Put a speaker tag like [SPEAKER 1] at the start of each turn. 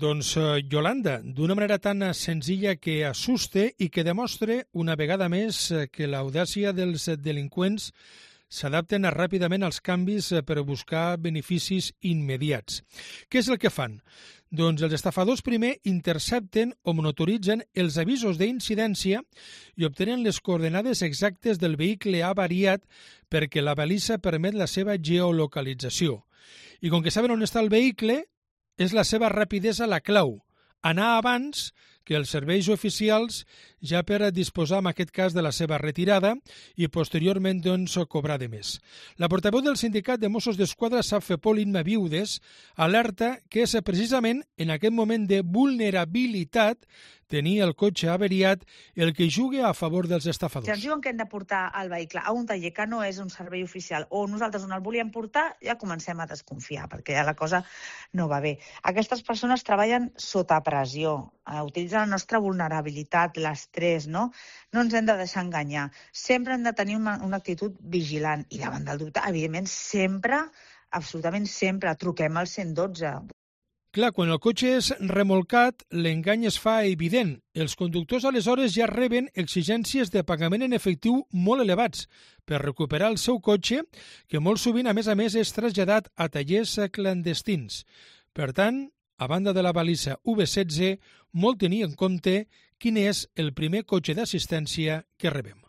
[SPEAKER 1] Doncs Yolanda, d'una manera tan senzilla que assuste i que demostra una vegada més que l'audàcia dels delinqüents s'adapten ràpidament als canvis per buscar beneficis immediats. Què és el que fan? Doncs els estafadors primer intercepten o monitoritzen els avisos d'incidència i obtenen les coordenades exactes del vehicle avariat perquè la balisa permet la seva geolocalització. I com que saben on està el vehicle, és la seva rapidesa la clau. Anar abans que els serveis oficials ja per disposar, en aquest cas, de la seva retirada i posteriorment doncs, cobrar de més. La portaveu del sindicat de Mossos d'Esquadra, Safepol Imma Viudes, alerta que és precisament en aquest moment de vulnerabilitat tenir el cotxe avariat el que juga a favor dels estafadors.
[SPEAKER 2] Si ens diuen que hem de portar el vehicle a un taller que no és un servei oficial o nosaltres on el volíem portar, ja comencem a desconfiar perquè ja la cosa no va bé. Aquestes persones treballen sota pressió, utilitzen la nostra vulnerabilitat, l'estrès, no? No ens hem de deixar enganyar. Sempre hem de tenir una actitud vigilant i davant del dubte, evidentment, sempre, absolutament sempre, truquem al 112.
[SPEAKER 1] Clar, quan el cotxe és remolcat, l'engany es fa evident. Els conductors aleshores ja reben exigències de pagament en efectiu molt elevats per recuperar el seu cotxe, que molt sovint, a més, és traslladat a tallers clandestins. Per tant, a banda de la balisa V16, molt tenir en compte quin és el primer cotxe d'assistència que rebem.